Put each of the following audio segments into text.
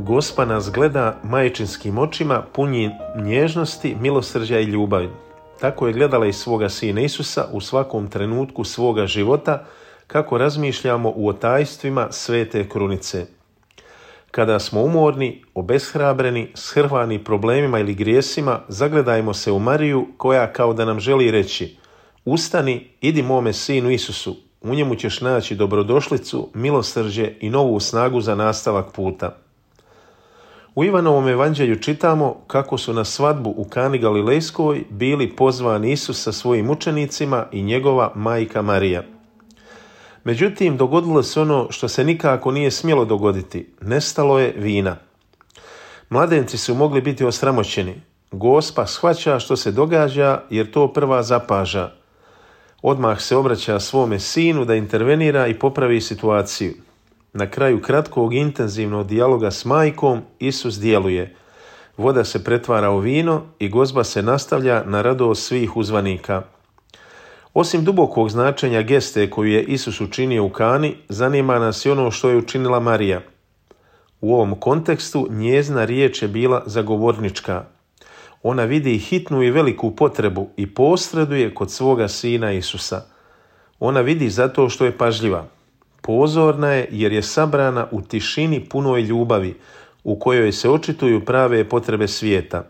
Gospa nas gleda majčinskim očima punji nježnosti, milosrđa i ljubavi. Tako je gledala i svoga sina Isusa u svakom trenutku svoga života, kako razmišljamo u otajstvima svete krunice. Kada smo umorni, obeshrabreni, shrvani problemima ili grijesima, zagledajmo se u Mariju koja kao da nam želi reći: ustani, idi mome sinu Isusu, u njemu ćeš naći dobrodošlicu, milosrđe i novu snagu za nastavak puta. U Ivanovom evanđelju čitamo kako su na svadbu u Kani Galilejskoj bili pozvani Isus sa svojim učenicima i njegova majka Marija. Međutim, dogodilo se ono što se nikako nije smjelo dogoditi. Nestalo je vina. Mladenci su mogli biti osramoćeni. Gospa shvaća što se događa jer to prva zapaža. Odmah se obraća svome sinu da intervenira i popravi situaciju. Na kraju kratkog intenzivnog dijaloga s majkom Isus djeluje. Voda se pretvara u vino i gozba se nastavlja na radost svih uzvanika. Osim dubokog značenja geste koju je Isus učinio u Kani, zanima nas i ono što je učinila Marija. U ovom kontekstu njezina riječ je bila zagovornička. Ona vidi hitnu i veliku potrebu i posreduje kod svoga sina Isusa. Ona vidi zato što je pažljiva. Pozorna je jer je sabrana u tišini punoj ljubavi, u kojoj se očituju prave potrebe svijeta.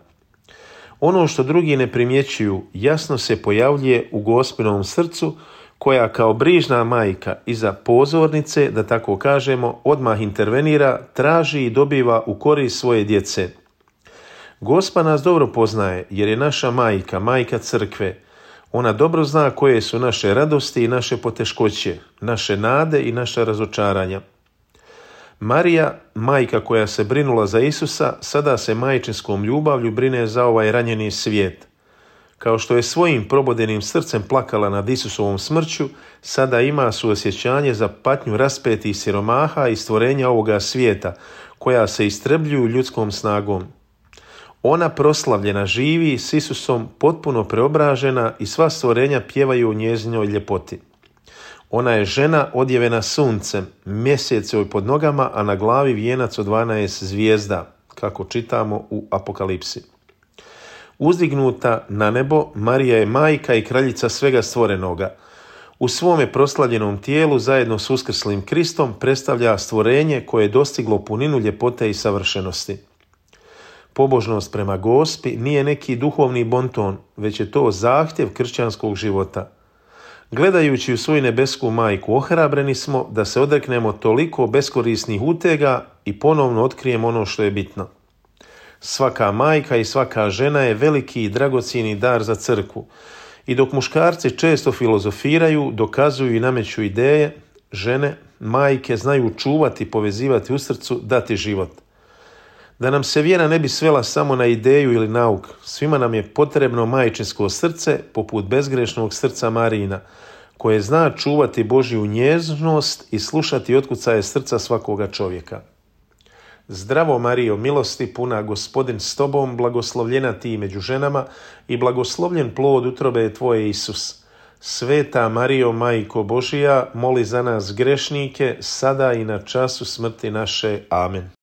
Ono što drugi ne primjećuju jasno se pojavljuje u Gospinovom srcu, koja kao brižna majka iza pozornice, da tako kažemo, odmah intervenira, traži i dobiva u korist svoje djece. Gospa nas dobro poznaje jer je naša majka, majka crkve. Ona dobro zna koje su naše radosti i naše poteškoće, naše nade i naša razočaranja. Marija, majka koja se brinula za Isusa, sada se majčinskom ljubavlju brine za ovaj ranjeni svijet. Kao što je svojim probodenim srcem plakala nad Isusovom smrću, sada ima suosjećanje za patnju raspetih siromaha i stvorenja ovoga svijeta, koja se istrebljuju ljudskom snagom. Ona proslavljena živi s Isusom potpuno preobražena i sva stvorenja pjevaju o njezinoj ljepoti. Ona je žena odjevena suncem, mjesec joj pod nogama, a na glavi vijenac od 12 zvijezda, kako čitamo u Apokalipsi. Uzdignuta na nebo, Marija je majka i kraljica svega stvorenoga. U svome proslavljenom tijelu zajedno s uskrslim Kristom predstavlja stvorenje koje je dostiglo puninu ljepote i savršenosti. Pobožnost prema Gospi nije neki duhovni bonton, već je to zahtjev kršćanskog života. Gledajući u svoju nebesku majku, ohrabreni smo da se odreknemo toliko beskorisnih utega i ponovno otkrijemo ono što je bitno. Svaka majka i svaka žena je veliki i dragocjeni dar za crkvu. I dok muškarci često filozofiraju, dokazuju i nameću ideje, žene, majke znaju čuvati, povezivati u srcu, dati život. Da nam se vjera ne bi svela samo na ideju ili nauk, svima nam je potrebno majčinsko srce poput bezgrešnog srca Marijina, koje zna čuvati Božju nježnost i slušati otkucaje srca svakoga čovjeka. Zdravo Marijo, milosti puna, Gospodin s tobom, blagoslovljena ti među ženama i blagoslovljen plod utrobe tvoje Isus. Sveta Marijo, Majko Božija, moli za nas grešnike, sada i na času smrti naše. Amen.